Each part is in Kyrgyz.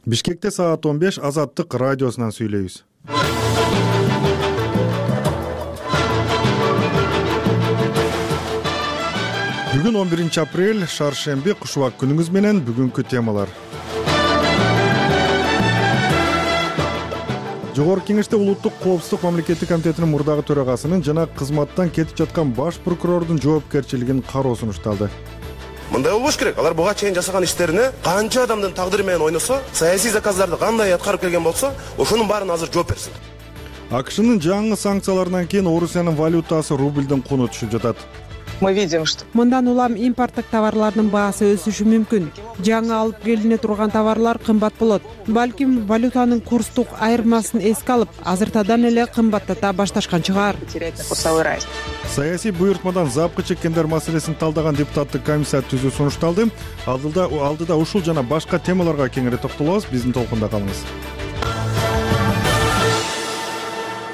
Бишкекте саат 15 Азаттык радиосунан сүйлөйбүз. Бүгүн 11 апрель, шаршемби, кушубак күнүңүз менен бүгүнкү темалар. Жогорку Кеңеште Улуттук коопсуздук мамлекеттик комитетинин мурдагы төрагасынын жана кызматтан кетип жаткан баш прокурордун жоопкерчилигин кароо сунушталды. Мындай болбош керек. Алар буга чейин жасаган иштерине канча адамдын тагдыры менен ойносо, саясий заказдарды кандай аткарып келген болсо, ошонун баарын азыр жооп берсин. АКШнын жаңы санкцияларынан кийин Орусиянын валютасы рубльдин куну түшүп жатат. Мы видим, что мындан улам импорттук товарлардын баасы өсүшү мүмкүн. Жаңы алып келине турган товарлар кымбат болот. Балким валютанын курстук айырмасын эске алып, азыртадан эле кымбаттата башташкан чыгар. Саясий буйртмадан запкы чеккендер маселесин талдаган депутаттык комиссия түзүү сунушталды. Алдыда ушул жана башка темаларга кеңири токтолобуз. Биздин толкунда калыңыз.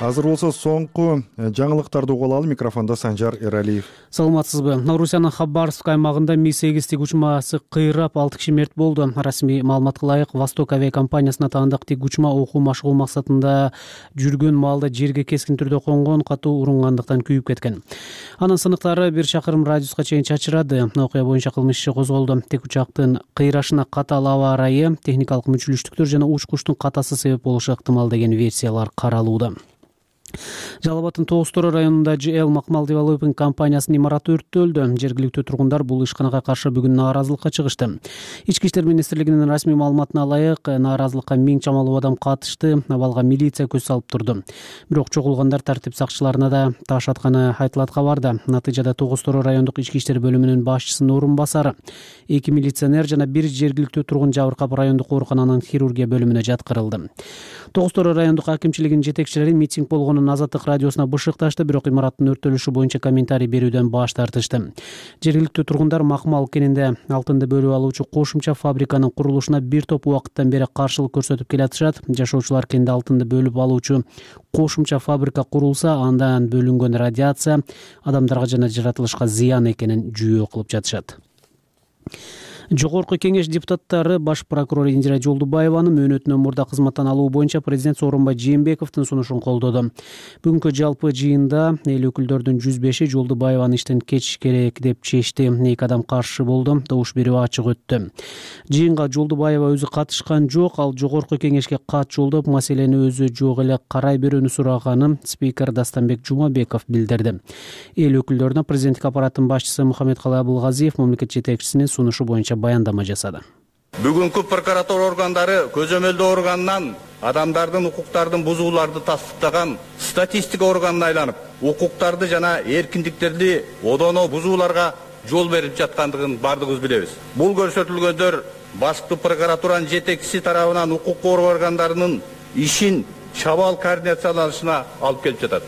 Азыр болсо соңку жаңылыктарды угуп алалы. Микрофондо Санжар Эралиев. Саламатсызбы? Орусиянын Хабаровск аймагында Ми-8 тик учмасы кыйрап 6 киши мерт болду. Расмий маалыматка ылайык, Восток авиакомпаниясына таандык тик учма окуу машыгуу максатында жүргөн маалда жерге кескин түрдө конгон, катуу урунгандыктан күйүп кеткен. Анын сыныктары 1 чакырым радиуска чейин чачырады. Окуя боюнча кылмыш иши козголду. Тик учактын кыйрашына катаал аба ырайы, техникалык мүчүлүштүктөр жана учкучтун катасы себеп болушу ыктымал деген версиялар каралууда. Жалал Абадтын Тоостор районунда ЖЛ Макмал Девелопинг компаниясынын имараты өрттөлдү. Жергиликтүү тургундар бул ишканага каршы бүгүн нааразылыкка чыгышты. Ички иштер министрлигинин расмий маалыматына ылайык, нааразылыкка 1000 чамалуу адам катышты. Абалга милиция көз салып турду. Бирок чогулгандар тартип сакчыларына да таш атканы айтылат кабарда. Натыйжада Тоостор райондук ички иштер бөлүмүнүн башчысынын орун басары, 2 милиционер жана 1 жергиликтүү тургун жабыркап райондук оорукананын хирургия бөлүмүнө жаткырылды. Тоостор райондук акимчилигинин жетекчилери митинг болгонун Азаттык радиосуна бышыкташты, бирок имараттын өрттөлүшү боюнча комментарий берүүдөн баш тартышты. Жергиликтүү тургундар Макмал кенинде алтынды бөлүп алуучу кошумча фабриканын курулушуна бир топ убакыттан бери каршылык көрсөтүп келатышат. Жашоочулар кенинде алтынды бөлүп алуучу кошумча фабрика курулса, андан бөлүнгөн радиация адамдарга жана жаратылышка зыян экенин жүйө кылып жатышат. Жогорку Кеңеш депутаттары баш прокурор Индира Жолдубаеванын мөөнөтүнөн мурда кызматтан алуу боюнча президент Сооронбай Жээнбековдун сунушун колдоду. Бүгүнкү жалпы жыйында эл өкүлдөрдүн 105-и Жолдубаеваны иштен кечиш керек деп чечти. 2 адам каршы болду. Добуш берүү ачык өттү. Жыйынга Жолдубаева өзү катышкан жок, ал Жогорку Кеңешке кат жолдоп, маселени өзү жок эле карай берүүнү сураганын спикер Дастанбек Жумабеков билдирди. Эл өкүлдөрүнө президенттик аппараттын башчысы Мухаммедкалый Абылгазиев мамлекет жетекчисинин сунушу боюнча баяндама жасады. Бүгүнкү прокуратура органдары көзөмөлдөө органынан адамдардын укуктарын бузууларды тастыктаган статистика органына айланып, укуктарды жана эркиндиктерди одоно бузууларга жол берип жаткандыгын бардыгыбыз билебиз. Бул көрсөтүлгөндөр башкы прокуратуранын жетекчиси тарабынан укук коргоо органдарынын ишин чабаал координацияланышына алып келип жатат.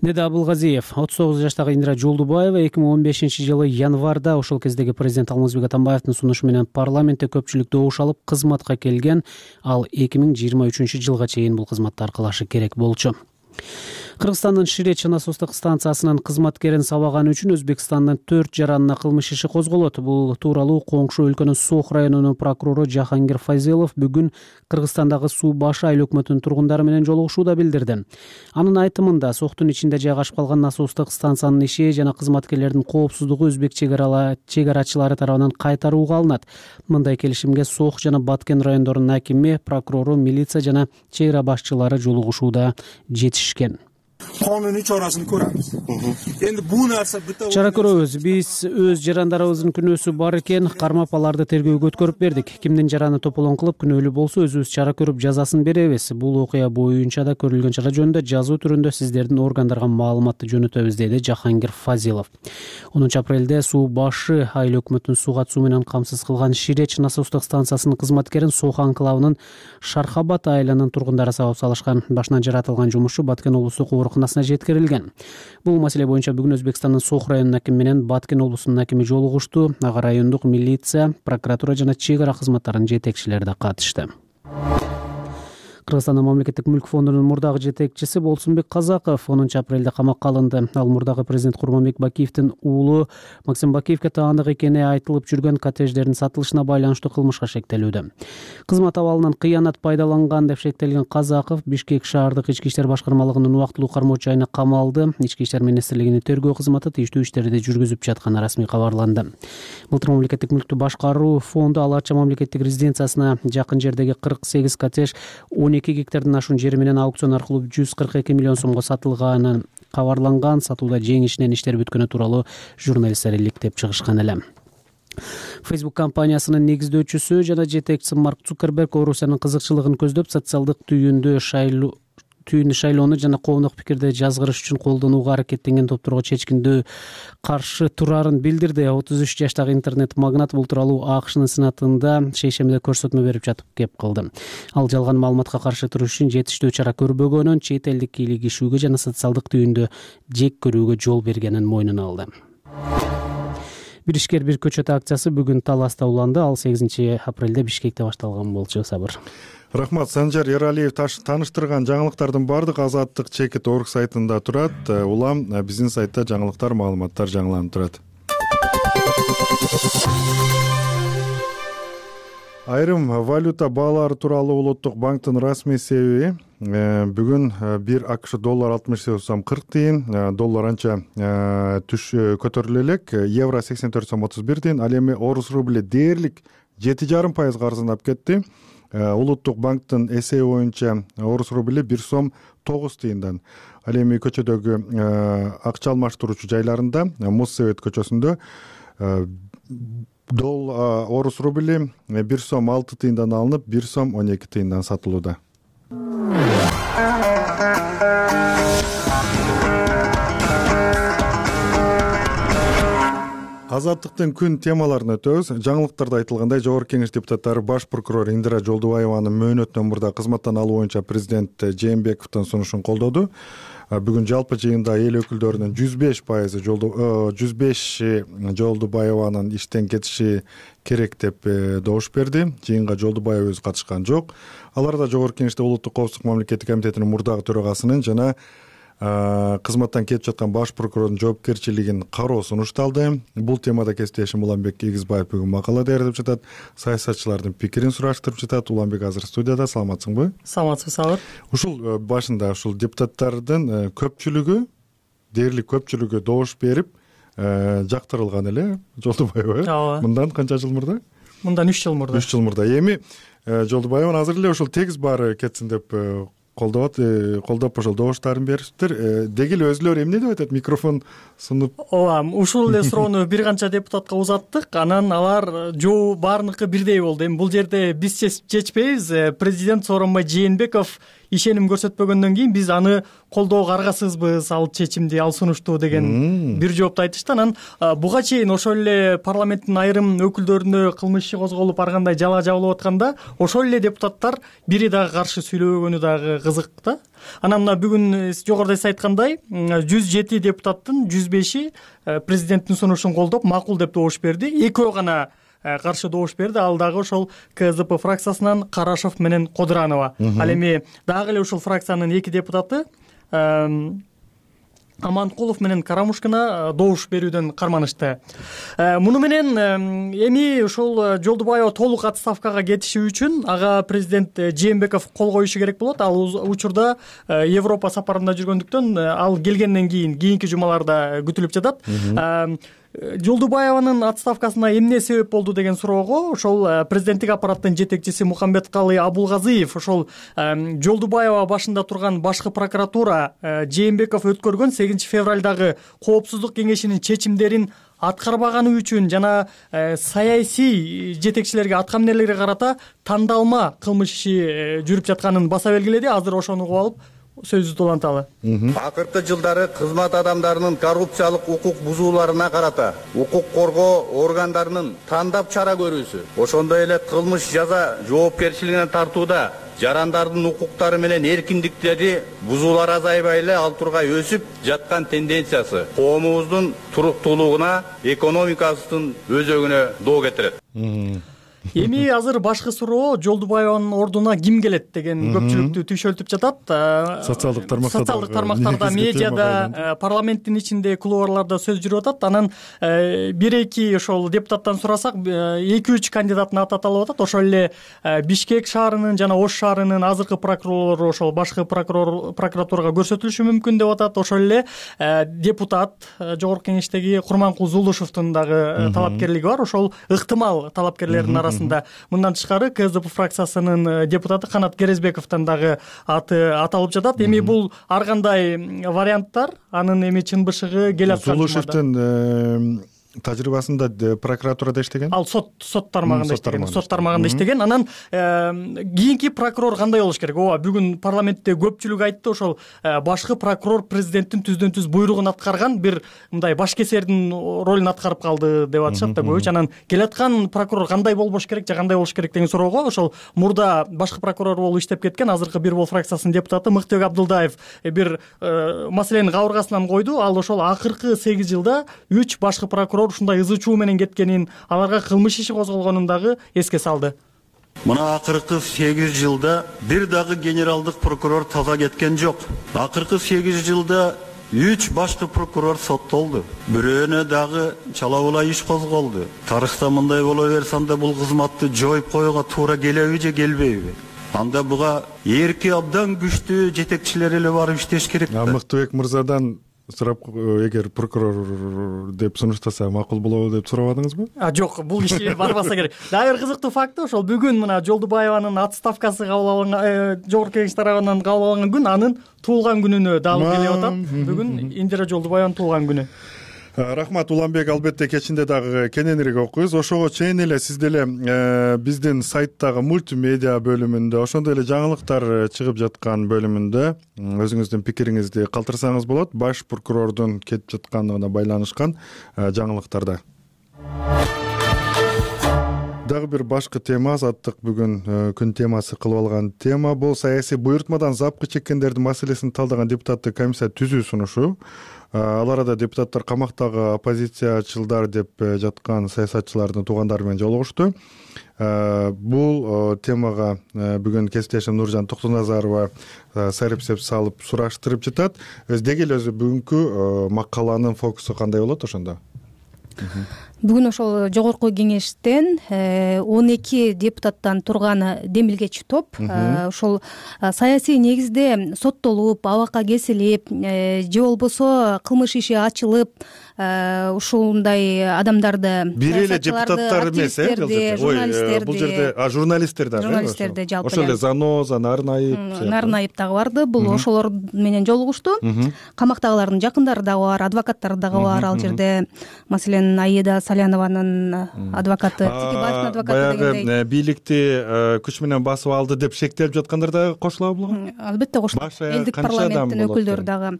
Деди Абылгазиев. 39 жаштагы Индира Жолдубаева 2015-жылы январда ошол кездеги президент Алмазбек Атамбаевдин сунушу менен парламентте көпчүлүк добуш алып кызматка келген. Ал 2023-жылга чейин бул кызматты аркалашы керек болчу. Кыргызстандын Ширеч насостук станциясынын кызматкерин сабаганы үчүн Өзбекстандын 4 жаранына кылмыш иши козголот. Бул тууралуу коңшу өлкөнүн Сох районунун прокурору Жахангир Фазилов бүгүн Кыргызстандагы Суу башы айыл өкмөтүнүн тургундары менен жолугушууда билдирди. Анын айтымында Сохтун ичинде жайгашып калган насостук станциянын иши жана кызматкерлердин коопсуздугу өзбек чегарачылары тарабынан кайтарууга алынат. Мындай келишимге Сох жана Баткен райондорунун акими, прокурору, милиция жана чегара башчылары жолугушууда жетишкен. Кануний чарасын көрөбүз. Эndi бул нерсе чара көрөбүз. Биз өз жарандарыбыздын күнөөсү бар экен, кармап аларды тергөөгө өткөрүп бердик. Кимдин жараны тополоң кылып күнөөлүү болсо өзүбүз чара көрүп жазасын беребиз. Бул окуя боюнча да көрүлгөн чара жөнүндө жазуу түрүндө сиздердин органдарга маалыматты жөнөтөбүз, деди Жахангир Фазилов. 10 апрелде Суу башы айыл өкмөтүнүн сууга суу менен камсыз кылган Ширеч насостук станциясынын кызматкерин Сох анклавынын Шархабад айылынын тургундары сабап салышкан. Башынан жаратылган жумушчу Баткен облустук ооруканасына жеткирилген. Бул маселе боюнча бүгүн Өзбекстандын Сох районунун акими менен Баткен облусунун акими жолугушту. Ага райондук милиция, прокуратура жана чегара кызматтарынын жетекчилери да катышты. Кыргызстандын мамлекеттик мүлк фондунун мурдагы жетекчиси Болсунбек Казаков 10-апрелде камакка алынды. Ал мурдагы президент Курманбек Бакиевдин уулу Максим Бакиевге таандык экени айтылып жүргөн коттедждердин сатылышына байланыштуу кылмышка шектелүүдө. Кызмат абалынан кыянат пайдаланган деп шектелген Казаков Бишкек шаардык ички иштер башкармалыгынын убактылуу кармоочу жайына камалды. Ички иштер министрлигинин тергөө кызматы тийиштүү иштерди жүргүзүп жатканы расмий кабарланды. Былтыр мамлекеттик мүлктү башкаруу фонду Ала Арча мамлекеттик резиденциясына жакын жердеги 48 коттедж 12 гектардан ашуун жери менен аукцион аркылуу 142 миллион сомго сатылганын кабарланган. Сатууда жеңишинен иштер бүткөнү тууралуу журналисттер иликтеп чыгышкан эле. Facebook компаниясынын негиздөөчүсү жана жетекчиси Марк Цукерберг Орусиянын кызыкчылыгын көздөп социалдык түйүндө шайлоону жана коомдук пикирди жазгырыш үчүн колдонууга аракеттенген топторго чечкиндүү каршы турарын билдирди. 33 жаштагы интернет магнат бул тууралуу АКШнын сенатында шейшембиде көрсөтмө берип жатып кеп кылды. Ал жалган маалыматка каршы туруш үчүн жетиштүү чара көрбөгөнүн, чет элдик кийлигишүүгө жана социалдык түйүндө жек көрүүгө жол бергенин мойнуна алды. Бир ишкер бир көчөт акциясы бүгүн Таласта уланды. Ал 8-апрелде Бишкекте башталган болчу. Сабыр. Рахмат. Санжар Эралиев тааныштырган жаңылыктардын баардык Азаттык чекит орг сайтында турат. Улам биздин сайтта жаңылыктар, маалыматтар жаңыланып турат. Айрым валюта баалары тууралуу Улуттук банктын расмий себеби бүгүн 1 АКШ доллар 68 сом 40 тыйын, доллар анча көтөрүлө элек, евро 84 сом 31 тыйын, ал эми орус рубли дээрлик 7,5% арзандап кетти. Улуттук банктын эсеби боюнча орус рубли 1 сом 9 тыйындан. Ал эми көчөдөгү акча алмаштыруучу жайларында Моссовет көчөсүндө орус рубли 1 сом 6 тыйындан алынып 1 сом 12 тыйындан сатылууда. Азаттыктын күн темаларына өтөбүз. Жаңылыктарда айтылгандай, Жогорку Кеңеш депутаттары баш прокурор Индира Жолдубаеванын мөөнөтүнөн мурда кызматтан алуу боюнча президент Жээнбековдун сунушун колдоду. Бүгүн жалпы жыйында эл өкүлдөрүнүн 105 Жолдубаеванын иштен кетиши керек деп добуш берди. Жыйынга Жолдубаева өзү катышкан жок. Аларда Жогорку Кеңеште Улуттук коопсуздук мамлекеттик комитетинин мурдагы төрагасынын жана кызматтан кетип жаткан баш прокурордун жоопкерчилигин кароо сунушталды. Бул темада кесиптешим Уланбек Эгизбаев бүгүн макала даярдап жатат. Саясатчылардын пикирин сураштырып жатат. Уланбек азыр студияда. Саламатсыңбы? Саламатсыз, Сабыр. Ушул башында депутаттардын көпчүлүгү, дээрлик көпчүлүгү добуш берип жактырылган эле Жолдубаева. Ооба. Мындан канча жыл мурда? Мындан 3 жыл мурда. 3 жыл мурда. Эми Жолдубаева азыр эле ушул тегиз баары кетсин деп колдоп ошол добуштарын беришиптир. Деги эле өзүлөрү эмне деп атат? Микрофон сунуп. Ооба, ушул эле суроону бир канча депутатка узаттык. Анан алар жоо баарыныкы бирдей болду. Эми бул жерде биз чечпейбиз. Президент Сооронбай Жээнбеков ишеним көрсөтпөгөндөн кийин биз аны колдоого аргасызбыз, ал чечимди, ал сунушту деген бир жоопту айтышты. Анан буга чейин ошол эле парламенттин айрым өкүлдөрүнө кылмыш иши козголуп ар кандай жала жабылып атканда ошол эле депутаттар бири дагы каршы сүйлөбөгөнү дагы кызык да. Анан мына бүгүн жогоруда сиз айткандай 107 депутаттын 105и президенттин сунушун колдоп макул деп добуш берди. Экөө гана каршы добуш берди. Ал дагы ошол КСДП фракциясынан Карашев менен Кодуранова. Ал эми дагы эле ушул фракциянын 2 депутаты Аманкулов менен Карамушкина добуш берүүдөн карманышты. Муну менен эми ушул Жолдубаева толук отставкага кетиши үчүн ага президент Жээнбеков кол коюшу керек болот. Ал учурда Европа сапарында жүргөндүктөн ал келгенден кийинки жумаларда күтүлүп жатат. Жолдубаеванын отставкасына эмне себеп болду деген суроого ошол президенттик аппараттын жетекчиси Мухамбеткалый Абулгазиев ошол Жолдубаева башында турган башкы прокуратура Жээнбеков өткөргөн 8 февралдагы коопсуздук кеңешинин чечимдерин аткарбаганы үчүн жана саясий жетекчилерге атка минерлерге карата тандалма кылмыш иши жүрүп жатканын баса белгиледи. Азыр ошону угуп алып сөзүбүздү уланталы. Акыркы жылдары кызмат адамдарынын коррупциялык укук бузууларына карата укук коргоо органдарынын тандап чара көрүүсү, ошондой эле кылмыш жаза жоопкерчилигине тартууда жарандардын укуктары менен эркиндиктери бузуулар азайбай эле ал тургай өсүп жаткан тенденциясы коомубуздун туруктуулугуна, экономикасынын өзөгүнө доо кетирет. Эми азыр башкы суроо Жолдубаеванын ордуна ким келет деген көпчүлүктү түйшөлтүп жатат. Социалдык тармактарда, медиада, парламенттин ичинде, кулуарларда сөз жүрүп атат. Анан 1-2 ошол депутаттан сурасак 2-3 кандидаттын аты аталып атат. Ошол эле Бишкек шаарынын жана Ош шаарынын азыркы прокурорлору ошол башкы прокуратурага көрсөтүлүшү мүмкүн деп атат. Ошол эле депутат Жогорку Кеңештеги Курманкул Зулушевдун дагы талапкерлиги бар. Ошол ыктымал талапкерлердин арасында. Мындан тышкары КСДП фракциясынын депутаты Канат Керезбековдун дагы аты аталып жатат. Эми бул ар кандай варианттар анын эми чын бышыгы келе аткан. Зулушевдин тажрыйбасында прокуратурада иштеген, ал сот тармагында иштеген. Анан кийинки прокурор кандай болуш керек? Ооба, бүгүн парламентте көпчүлүк айтты, ошол башкы прокурор президенттин түздөн түз буйругун аткарган бир мындай башкесердин ролун аткарып калды деп атышат да көбүчө. Анан келаткан прокурор кандай болбош керек же кандай болуш керек деген суроого ошол мурда башкы прокурор болуп иштеп кеткен азыркы Бир Бол фракциясынын депутаты Мыктыбек Абдылдаев бир маселенин кабыргасынан койду. Ал ошол акыркы 8 жылда 3 башкы прокурор ушундай ызы чуу менен кеткенин, аларга кылмыш иши козголгонун дагы эске салды. Мына акыркы 8 жылда бир дагы генералдык прокурор таза кеткен жок. Акыркы 8 жылда 3 башкы прокурор соттолду. Бирөөнө дагы чала-була иш козголду. Тарыхта мындай боло берсе анда бул кызматты жоюп коюуга туура келеби же келбейби? Анда буга эрки абдан күчтүү жетекчилер эле барып иштеш керек. Мыктыбек мырзадан сурап, эгер прокурор деп сунуштаса макул болобу деп сурабадыңызбы? Жок, бул иши барбаса керек. Дагы бир кызыктуу факты, ошол бүгүн мына Жолдубаеванын отставкасы кабыл алынган, Жогорку Кеңеш тарабынан кабыл алынган күн анын туулган күнүнө дагы келип атат. Бүгүн Индира Жолдубаеванын туулган күнү. Рахмат Уланбек, албетте кечинде дагы кененирээк окуйбуз. Ошого чейин эле сиз деле биздин сайттагы мультимедиа бөлүмүндө, ошондой эле жаңылыктар чыгып жаткан бөлүмүндө өзүңүздүн пикириңизди калтырсаңыз болот. Баш прокурордун кетип жаткандыгына байланышкан жаңылыктарда. Дагы бир башкы тема, азаттык бүгүн күн темасы кылып алган тема бул саясий буйртмадан запкы чеккендердин маселесин талдаган депутаттык комиссия түзүү сунушу. Ал арада депутаттар камактагы оппозициячылдар деп жаткан саясатчылардын туугандары менен жолугушту. Бул темага бүгүн кесиптешим Нуржан Токтоназарова сайрепсеп салып сураштырып жатат. Деги эле өзү бүгүнкү макаланын фокусу кандай болот ошондо? Бүгүн ошол Жогорку Кеңештен 12 депутаттан турган демилгечи топ ошол саясий негизде соттолуп, абакка кесилип, же болбосо кылмыш иши ачылып, ушундай адамдарды, бир эле депутаттар эмес, журналисттерди, бул жерде журналисттер дагы, журналисттерди жалпы ошол эле Заноза, Нарынаев дагы барды. Бул ошолор менен жолугушту. Камактагылардын жакындары дагы бар, адвокаттары дагы бар. Ал жерде маселен Аида Салянованын адвокаты, Текебаевдин адвокаты дегендей. Баягы бийликти күч менен басып алды деп шектелип жаткандар дагы кошулабы буга? Албетте кошулат. Элдик парламенттин өкүлдөрү дагы.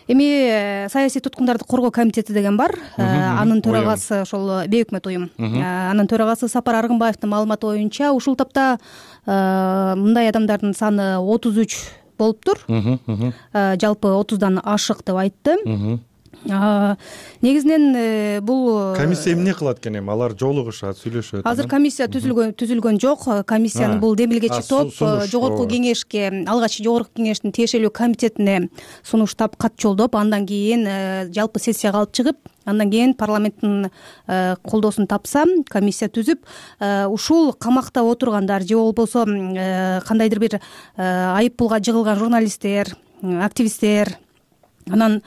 Эми саясий туткундарды коргоо комитети деген бар. Анын төрагасы ошол Бейөкмөт уюм. Анын төрагасы Сапар Аргынбаевдин маалыматы боюнча ушул тапта мындай адамдардын саны 33 болуптур. Жалпы 30дан ашык деп айтты. Негизинен бул комиссия эмне кылат экен эми? Алар жолугушат, сүйлөшөт. Азыр комиссия түзүлгөн жок. Комиссиянын бул демилгечи топ Жогорку Кеңешке, алгач Жогорку Кеңештин тиешелүү комитетине сунуштап, кат жолдоп, андан кийин жалпы сессияга алып чыгып, андан кийин парламенттин колдоосун тапса, комиссия түзүп, ушул камакта отургандар же болбосо кандайдыр бир айыппулга жыгылган журналисттер, активисттер, анан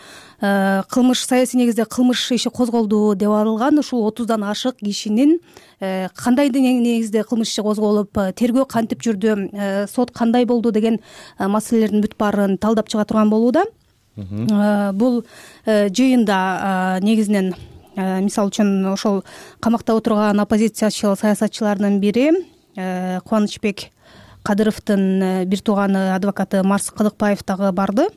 кылмыш, саясий негизде кылмыш иши козголду деп атылган ушул 30дан ашык кишинин кандай негизде кылмыш иши козголуп, тергөө кантип жүрдү, сот кандай болду деген маселелердин бүт баарын талдап чыга турган болууда. Бул жыйында негизинен мисалы үчүн ошол камакта отурган оппозициячыл саясатчылардын бири Кубанычбек Кадыровдун бир тууганы адвокаты Марс Кыдыкбаев дагы барды.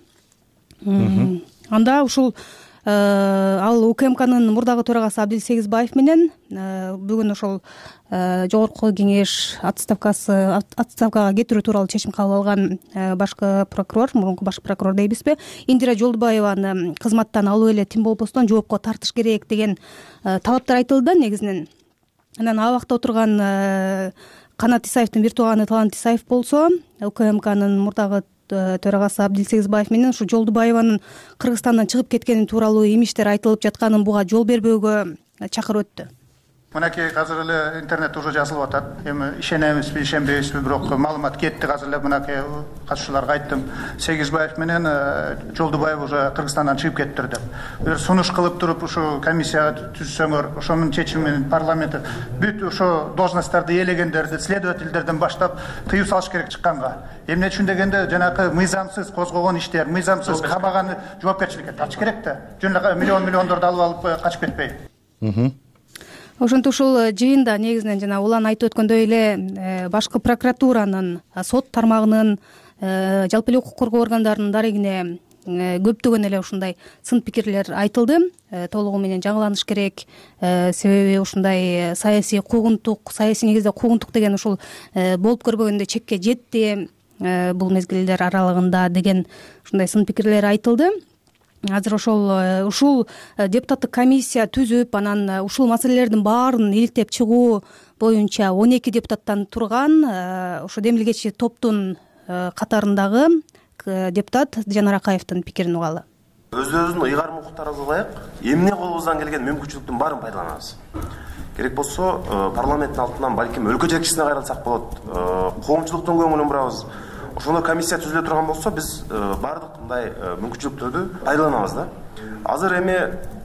Анда ушул ал УКМКнын мурдагы төрагасы Абдил Сегизбаев менен бүгүн ошол Жогорку Кеңеш отставкага кетирүү тууралуу чечим кабыл алган башкы прокурор, мурунку башкы прокурор дейбизби, Индира Жолдубаеваны кызматтан алуу эле тим болбостон жоопко тартыш керек деген талаптар айтылды. Негизинен анан абакта отурган Канат Исаевдин бир тууганы Талант Исаев болсо, УКМКнын мурдагы төрагасы Абдилсегизбаев менен ушу Жолдубаеванын Кыргызстандан чыгып кеткени тууралуу имиштер айтылып жатканын буга жол бербөөгө чакырып өттү. Мынакей азыр эле интернет уже жазылып атат. Эми ишенебизби, ишенбейбизби, бирок маалымат кетти. Азыр эле мынакей катышуучуларга айттым. Сегизбаев менен Жолдубаев уже Кыргызстандан чыгып кеттир деп. Бир сунуш кылып туруп ушу комиссия түзсөңөр, ошонун чечими менен парламент бүт ошо должностторду ээлегендерди, следовательдерден баштап тыюу салыш керек чыкканга. Эмне үчүн дегенде жанакы мыйзамсыз козгогон иштер, мыйзамсыз кабаганы жоопкерчиликке тартыш керек да. Жөн эле миллиондорду алып качып кетпей. Ошентип ушул жыйында негизинен жана улан айтып өткөндөй эле башкы прокуратуранын, сот тармагынын, жалпы эле укук коргоо органдарынын дарегине көптөгөн эле ушундай сын пикирлер айтылды. Толугу менен жаңыланыш керек. Себеби ушундай саясий куугунтук, саясий негизде куугунтук деген ушул болуп көрбөгөндө чекке жетти бул мезгилдер аралыгында деген ушундай сын пикирлер айтылды. Азыр ушул депутаттык комиссия түзүп, анан ушул маселелердин баарын иликтеп чыгуу боюнча 12 депутаттан турган ошо демилгечи топтун катарындагы депутат Жанар Акаевдин пикирин угалы. Өзүбүздүн ыйгарым укуктарыбызга ылайык эмне колубуздан келген мүмкүнчүлүктүн баарын пайдаланабыз. Керек болсо парламенттин алдынан балким өлкө жетекчисине кайрылсак болот, коомчулуктун көңүлүн бурабыз. Ошондой комиссия түзүлө турган болсо биз баардык мындай мүмкүнчүлүктөрдү пайдаланабыз да. Азыр эми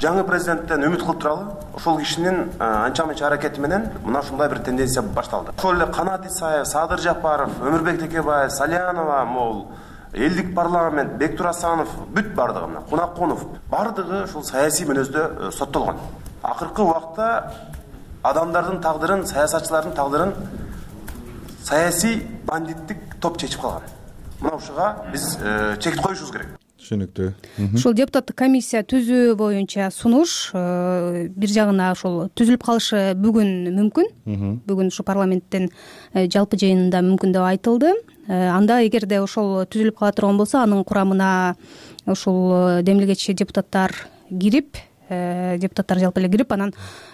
жаңы президенттен үмүт кылып туралы. Ошол кишинин анча-мынча аракети менен мына ушундай бир тенденция башталды. Ошол эле Канат Исаев, Садыр Жапаров, Өмүрбек Текебаев, Салянова, могул элдик парламент, Бектур Асанов, бүт бардыгы мына Кунакунов, бардыгы ушул саясий мүнөздө соттолгон. Акыркы убакта адамдардын тагдырын, саясатчылардын тагдырын саясий бандиттик топ чечип калган. Мына ушуга биз чек коюшубуз керек. Түшүнүктүү. Ушул депутаттык комиссия түзүү боюнча сунуш бир жагына ошол түзүлүп калышы бүгүн мүмкүн. Бүгүн ушу парламенттин жалпы жыйынында мүмкүн деп айтылды. Анда эгерде ошол түзүлүп кала турган болсо, анын курамына ушул демилгечи депутаттар жалпы эле кирип, анан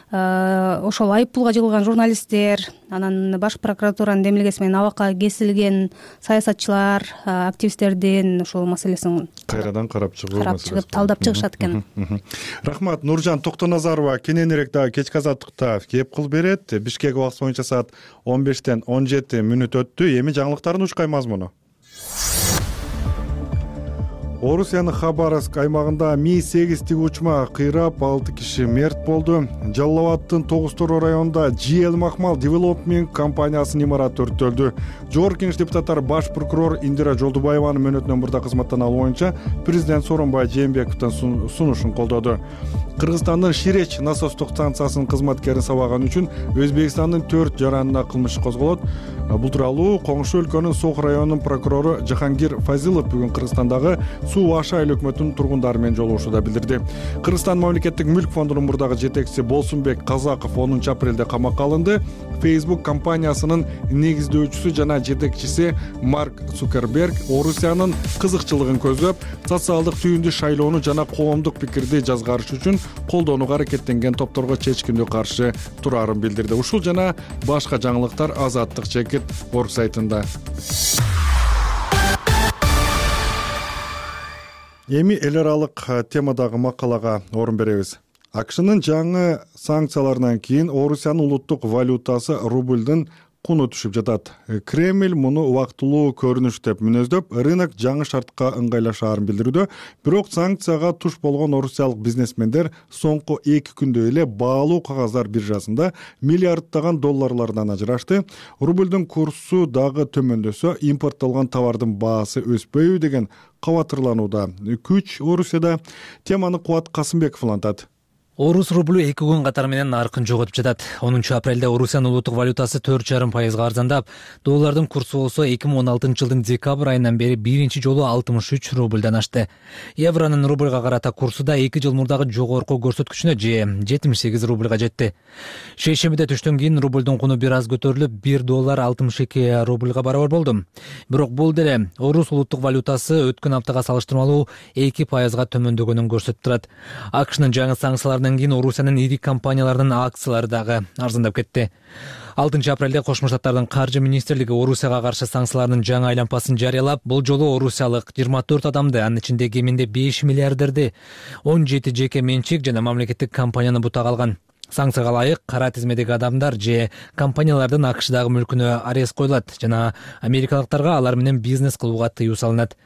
ошол айыппулга жыгылган журналисттер, анан баш прокуратуранын демилгеси менен абакка кесилген саясатчылар, активисттердин ушул маселесин кайрадан карап чыгып талдап чыгышат экен. Рахмат. Нуржан Токтоназарова кененирээк дагы кечки азаттыкта кеп кыл берет. Бишкек убакыты боюнча саат 15-тен 17 мүнөт өттү. Эми жаңылыктардын учкай мазмуну. Орусиянын Хабаровск аймагында Ми-8 тиги учма кыйрап 6 киши мерт болду. Жалал Абадтын Тогуз-Тороо районунда GL Махмал Development компаниясынын имараты өрттөлдү. Жогорку Кеңеш депутаттары баш прокурор Индира Жолдубаеванын мөөнөтүнөн мурда кызматтан алуу боюнча президент Сооронбай Жээнбековдун сунушун колдоду. Кыргызстандын Ширеч насостук станциясынын кызматкерин сабаган үчүн Өзбекстандын 4 жаранына кылмыш козголот. Бул тууралуу коңшу өлкөнүн Сох районунун прокурору Жахангир Фазилов бүгүн Кыргызстандагы Суу Аша айыл өкмөтүнүн тургундары менен жолугушууда билдирди. Кыргызстан мамлекеттик мүлк фондунун мурдагы жетекчиси Болсунбек Казаков 10 апрелде камакка алынды. Facebook компаниясынын негиздөөчүсү жана жетекчиси Марк Цукерберг Орусиянын кызыкчылыгын көздөп, социалдык түйүндү шайлоону жана коомдук пикирди жазгарыш үчүн колдонууга аракеттенген топторго чечкиндүү каршы турарын билдирди. Ушул жана башка жаңылыктар Азаттык Чекит орг сайтында. Эми эл аралык темадагы макалага орун беребиз. АКШнын жаңы санкцияларынан кийин Орусиянын улуттук валютасы рублдун куну түшүп жатат. Кремль муну убактылуу көрүнүш деп мүнөздөп, рынок жаңы шартка ыңгайлашаарын билдирүүдө. Бирок санкцияга туш болгон орусиялык бизнесмендер соңку 2 күндө эле баалуу кагаздар биржасында миллиарддаган долларлардан ажырашты. Рублдун курсу дагы төмөндөсө, импорттолгон товардын баасы өспөйбү деген кабатырланууда күч Орусияда. Теманы Кубат Касымбеков улантат. Орус рублю 2 күн катары менен наркын жоготуп жатат. 10 апрелде Орусиянын улуттук валютасы 4,5% арзандап, доллардын курсу болсо 2016-жылдын декабрь айынан бери биринчи жолу 63 рубльдан ашты. Евронун рубльга карата курсу да 2 жыл мурдагы жогорку көрсөткүчүнө же 78 рубльга жетти. Шейшембиде түштөн кийин рубльдун куну бир аз көтөрүлүп, 1 доллар 62 рубльга барабар болду. Бирок бул деле Орус улуттук валютасы өткөн аптага салыштырмалуу 2%га төмөндөгөнүн көрсөтүп турат. АКШнын жаңы санкцияларынан андан кийин Орусиянын ири компанияларынын акциялары дагы арзандап кетти. 6 апрелде Кошмо Штаттардын каржы министрлиги Орусияга каршы санкциялардын жаңы айлампасын жарыялап, бул жолу орусиялык 24 адамды, анын ичинде кеминде 5 миллиардерди, 17 жеке менчик жана мамлекеттик компанияны бутага алган. Санкцияга ылайык кара тизмедеги адамдар же компаниялардын АКШдагы мүлкүнө арест коюлат жана америкалыктарга алар менен бизнес кылууга тыюу салынат.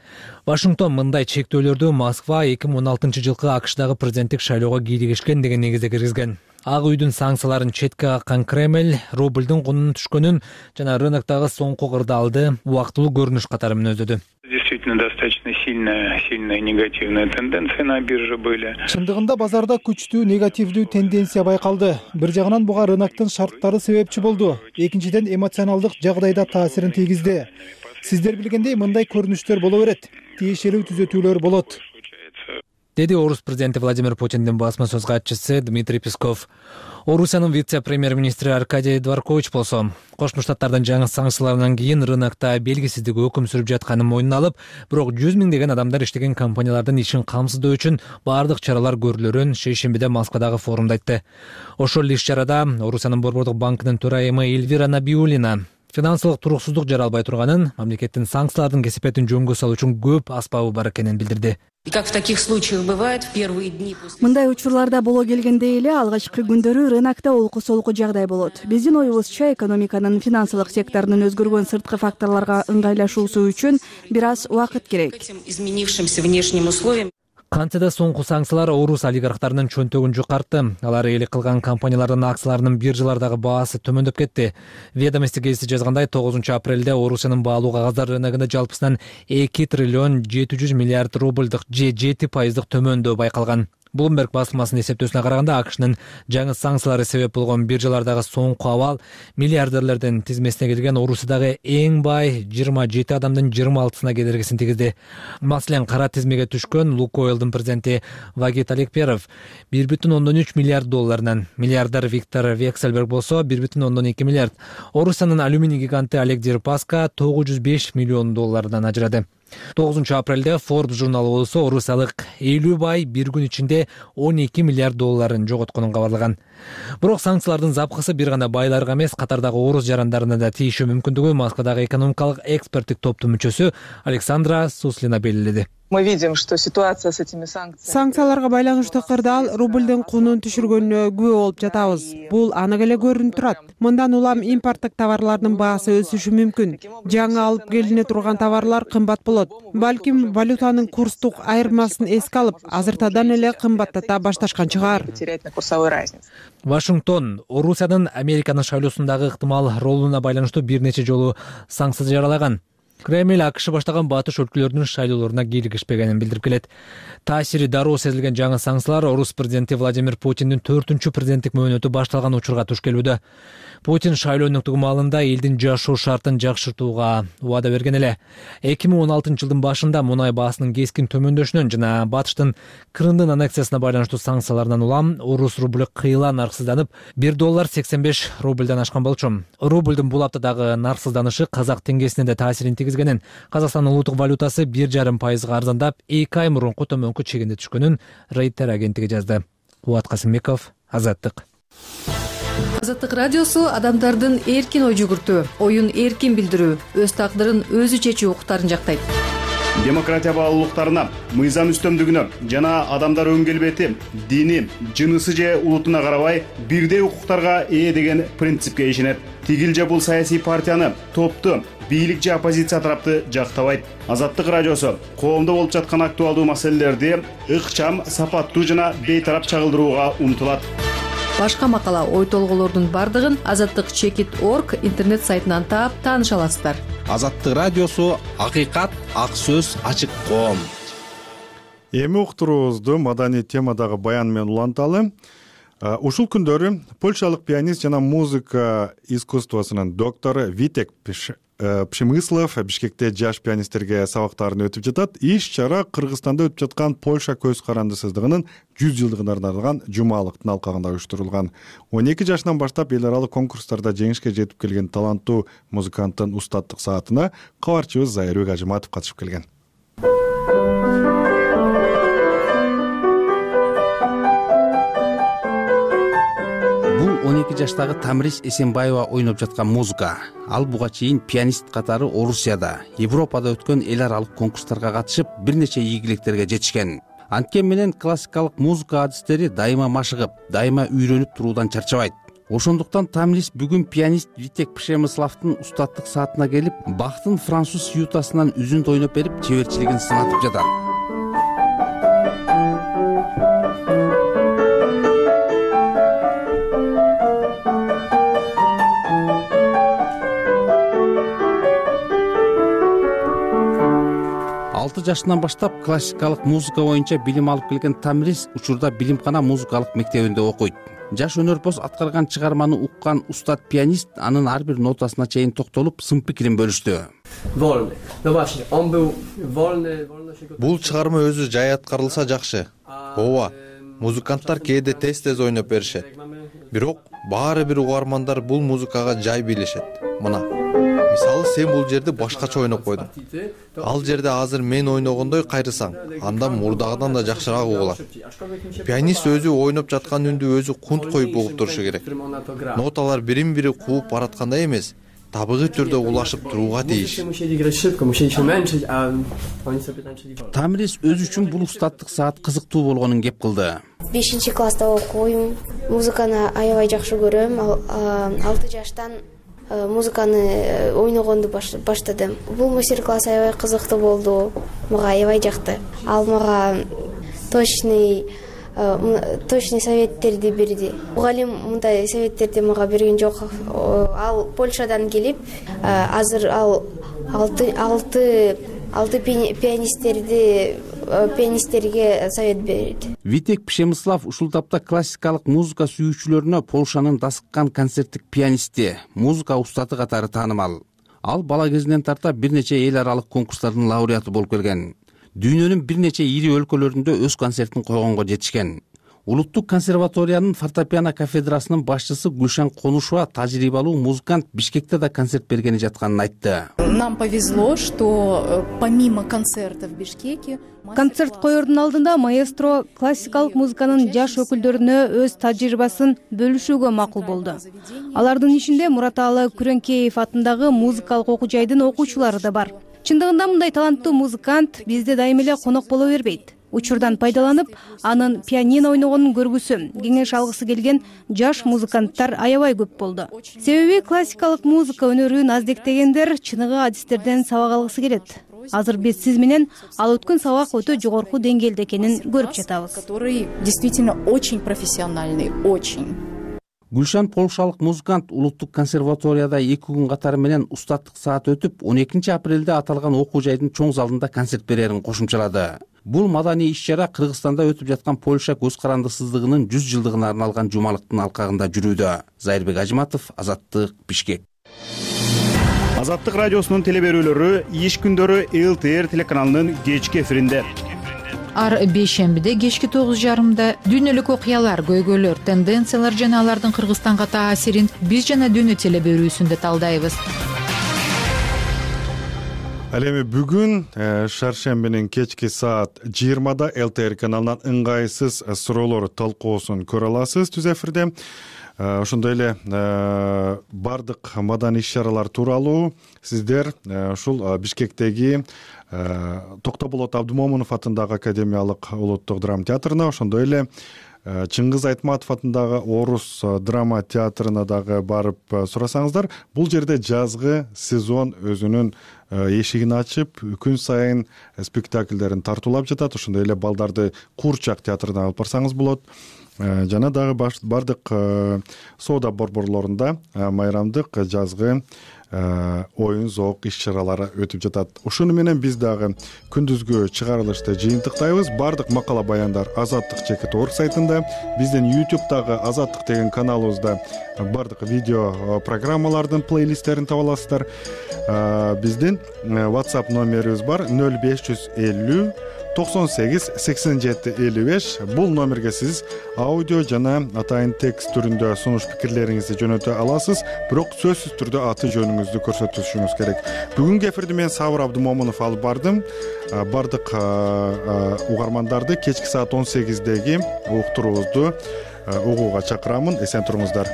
Вашингтон мындай чектөөлөрдү Москва 2016 жылкы АКШдагы президенттик шайлоого кийлигишкен деген негизде киргизген. Ак үйдүн санкцияларын четке каккан Кремль рубльдун кунунун түшкөнүн жана рыноктогу соңку кырдаалды убактылуу көрүнүш катары мүнөздөдү. Действительно, достаточно сильная негативная тенденция на бирже были. Чындыгында базарда күчтүү негативдүү тенденция байкалды. Бир жагынан буга рыноктун шарттары себепчи болду. Экинчиден эмоционалдык жагдайда таасирин тийгизди. Сиздер билгендей мындай көрүнүштөр боло берет. Тиешелүү түзөтүүлөр болот, деди орус президенти Владимир Путиндин басма сөз катчысы Дмитрий Песков. Орусиянын вице-премьер-министри Аркадий Дворкович болсо, Кошмо Штаттардын жаңы санкцияларынан кийин рынокто белгисиздик өкүм сүрүп жатканын мойнуна алып, бирок 100 миңдеген адамдар иштеген компаниялардын ишин камсыздоо үчүн баардык чаралар көрүлөрүн шейшембиде Москвадагы форумда айтты. Ошол иш-чарада Орусиянын Борбордук банкынын төрайымы Эльвира Набиуллина финансылык туруксуздук жаралбай турганын, мамлекеттин санкциялардын кесепетин жөнгө салуу үчүн көп аспабы бар экенин билдирди. Мындай учурларда боло келгендей эле алгачкы күндөрү рынокто олку-солку жагдай болот. Биздин оюбузча, экономиканын финансылык секторунун өзгөргөн сырткы факторлорго ыңгайлашуусу үчүн бир аз убакыт керек. Кантсе да соңку санкциялар орус олигархтарынын чөнтөгүн жукартты. Алар ээлик кылган компаниялардын акцияларынын биржалардагы баасы төмөндөп кетти. Ведомости гезити жазгандай 9 апрелде Орусиянын баалуу кагаздар рыногунда жалпысынан 2 триллион 700 миллиард рубльдык же 7% төмөндөө байкалган. Bloomberg басылмасынын эсептөөсүнө караганда АКШнын жаңы санкциялары себеп болгон биржалардагы соңку абал миллиардерлердин тизмесине кирген Орусиядагы эң бай 27 адамдын 26-сына кедергисин тийгизди. Маселен, кара тизмеге түшкөн Лукойлдун президенти Вагит Алекперов 1,3 миллиард долларынан, миллиардер Виктор Вексельберг болсо 1,2 миллиард, Орусиянын алюминий гиганты Олег Дерипаска 905 миллион доллардан ажырады. 9 апрелде Forbes журналы болсо орусиялык 50 бай бир күн ичинде 12 миллиард долларын жоготконун кабарлаган. Бирок санкциялардын запкысы бир гана байларга эмес, катардагы орус жарандарына да тийиши мүмкүндүгү Москвадагы экономикалык эксперттик топтун мүчөсү Александра Суслина белгиледи. Мы видим, что ситуация с этими санкцияларга байланыштуу кырдаал рубльдин кунун түшүргөнүнө күбө болуп жатабыз. Бул анык эле көрүнүп турат. Мындан улам импорттук товарлардын баасы өсүшү мүмкүн. Жаңы алып келине турган товарлар кымбат болот. Балким валютанын курстук айырмасын эске алып, азыртадан эле кымбаттата башташкан чыгар. Вашингтон Орусиянын Американын шайлоосундагы ыктымал ролуна байланыштуу бир нече жолу санкция жаралаган. Кремль АКШ баштаган батыш өлкөлөрүнүн шайлоолоруна кийлигишпегенин билдирип келет. Таасири дароо сезилген жаңы санкциялар орус президенти Владимир Путиндин 4-чү президенттик мөөнөтү башталган учурга туш келүүдө. Путин шайлоо өнөктүгү маалында элдин жашоо шартын жакшыртууга убада берген эле. 2016 жылдын башында мунай баасынын кескин төмөндөшүнөн жана батыштын Крымдын аннексиясына байланыштуу санкциялардан улам орус рубль кыйла нарксызданып, $1.85 рубльден ашкан болчу. Рубльдин бул аптадагы нарксызданышы казак теңгесине да таасирин тийгизгенин, Казакстандын улуттук валютасы 1,5% арзандап, 2 ай мурунку төмөнкү чегинде түшкөнүн Рейтер агенттиги жазды. Кубат Касымбеков, Азаттык. Азаттык радиосу адамдардын эркин ой жүгүртүү, оюн эркин билдирүү, өз тагдырын өзү чечүү укуктарын жактайт. Демократия баалуулуктарына, мыйзам үстөмдүгүнө жана адамдар өн келбети, дини, жынысы же улутуна карабай бирдей укуктарга ээ деген принципке ишенет. Тигил же бул саясий партияны, топту, бийлик же оппозиция тарапты жактабайт. Азаттык радиосу коомдо болуп жаткан актуалдуу маселелерди ыкчам, сапаттуу жана бейтарап чагылдырууга умтулат. Башка макала, ой толгоолордун бардыгын azattik.org интернет сайтынан таап тааныша аласыздар. Азаттык радиосу акыйкат, ак сөз, ачык коом. Эми уктуруубузду маданий темадагы баян менен уланталы. Ушул күндөрү польшалык пианист жана музыка искусствосунун доктору Витек Пшемыслов Бишкекте жаш пианисттерге сабактарын өтүп жатат. Иш-чара Кыргызстанда өтүп жаткан Польша көз карандысыздыгынын 100 жылдыгына арналган жумалыктын алкагында уюштурулган. 12 жашынан баштап эл аралык конкурстарда жеңишке жетип келген таланттуу музыканттын устаттык саатына кабарчыбыз Зайырбек Ажыматов катышып келген. 12 жаштагы Тамрис Эсенбаева ойноп жаткан музыка. Ал буга чейин пианист катары Орусияда, Европада өткөн эл аралык конкурстарга катышып, бир нече ийгиликтерге жетишкен. Анткени менен классикалык музыка адистери дайыма машыгып, дайыма үйрөнүп туруудан чарчабайт. Ошондуктан Тамрис бүгүн пианист Витек Пшемыславдын устаттык саатына келип, Бахтын француз сюитасынан үзүндү ойноп берип, чеберчилигин сынатып жатат. Жашынан баштап классикалык музыка боюнча билим алып келген Тамрис учурда Билимкана музыкалык мектебинде окуйт. Жаш өнөрпоз аткарган чыгарманы уккан устат пианист анын ар бир нотасына чейин токтолуп, сын пикирин бөлүштү. Бул чыгарма өзү жай аткарылса жакшы. Ооба, музыканттар кээде тез ойноп беришет. Бирок баары бир угармандар бул музыкага жай билишет. Мына мисалы, сен бул жерди башкача ойноп койдуң. Ал жерде азыр мен ойногондой кайрысаң, анда мурдагыдан да жакшыраак угулат. Пианист өзү ойноп жаткан үндү өзү кунт коюп угуп турушу керек. Ноталар бирин бири кууп бараткандай эмес, табигый түрдө улашып турууга тийиш. Тамрис өзү үчүн бул устаттык саат кызыктуу болгонун кеп кылды. 5-класста окуйм, музыканы аябай жакшы көрөм. 6 жаштан музыканы ойногонду баштадым. Бул мастер-класс аябай кызыктуу болду. Мага аябай жакты. Ал мага точный советтерди берди. Мугалим мындай советтерди мага берген жок. Ал Польшадан келип, азыр ал 6 пианисттерге совет берет. Витек Пшемыслав ушул тапта классикалык музыка сүйүүчүлөрүнө Полшанын Дасыккан концерттик пианисти, музыка устаты катары таанымал. Ал бала кезинен тарта бир нече эл аралык конкурстардын лауреаты болуп келген. Дүйнөнүн бир нече ири өлкөлөрүндө өз концертин койгонго жетишкен. Улуттук консерваториянын фортепиано кафедрасынын башчысы Гүлшан Конушова тажрыйбалуу музыкант Бишкекте да концерт бергени жатканын айтты. Нам повезло, что помимо концертов в Бишкеке концерт коердун алдында маэстро классикалык музыканын жаш өкүлдөрүнө өз тажрыйбасын бөлүшүүгө макул болду. Алардын ичинде Мураталы Күрөңкеев атындагы музыкалык окуу жайдын окуучулары да бар. Чындыгында мындай таланттуу музыкант бизде дайым эле конок боло бербейт. Учурдан пайдаланып, анын пианино ойногонун көргүсү, кеңеш алгысы келген жаш музыканттар аябай көп болду. Себеби классикалык музыка өнөрүн аздектегендер чыныгы адистерден сабак алгысы келет. Азыр биз сиз менен ал өткөн сабак өтө жогорку деңгээлде экенин көрүп жатабыз. Который действительно очень профессиональный, очень. Гүлшан полшалык музыкант Улуттук консерваторияда 2 күн катары менен устаттык саат өтүп, 12 апрелде аталган окуу жайдын чоң залында концерт берерин кошумчалады. Бул маданий иш-чара Кыргызстанда өтүп жаткан Польша көз карандысыздыгынын 100 жылдыгына арналган жумалыктын алкагында жүрүүдө. Зайырбек Ажиматов, Азаттык, Бишкек. Азаттык радиосунун телеберүүлөрү иш күндөрү ЛТР телеканалынын кечки эфиринде. Ар бейшембиде кечки 9:30 дүйнөлүк окуялар, көйгөйлөр, тенденциялар жана алардын Кыргызстанга таасирин биз жана дүйнө телеберүүсүндө талдайбыз. Ал эми бүгүн шаршембинин кечки саат 20-да ЛТР каналынан ыңгайсыз суроолор талкуусун көрө аласыз түз эфирде. Ошондой эле бардык маданий иш-чаралар тууралуу сиздер ушул Бишкектеги Токтоболот Абдымомунов атындагы Академиялык улуттук драма театрына, ошондой эле Чыңгыз Айтматов атындагы Орус драма театрына дагы барып сурасаңыздар, бул жерде жазгы сезон өзүнүн эшигин ачып, күн сайын спектакльдерин тартуулап жатат. Ошондой эле балдарды Курчак театрына алып барсаңыз болот. Жана дагы бардык соода борборлорунда майрамдык жазгы оюн зоок иш-чаралары өтүп жатат. Ушуну менен биз дагы күндүзгү чыгарылышты жыйынтыктайбыз. Бардык макала баяндар Азаттык.org сайтында, биздин YouTube'дагы Азаттык деген каналыбызда бардык видео программалардын плейлисттерин таба аласыздар. Биздин WhatsApp номерибиз бар 0550 98 87 55. Бул номерге сиз аудио жана атайын текст түрүндө сунуш пикирлериңизди жөнөтө аласыз, бирок сөзсүз түрдө аты жөнүңүздү көрсөтүшүңүз керек. Бүгүнкү эфирди мен Сабыр Абдымомунов алып бардым. Бардык угармандарды кечки саат 18деги уктуруубузду угууга чакырамын. Эсен туруңуздар.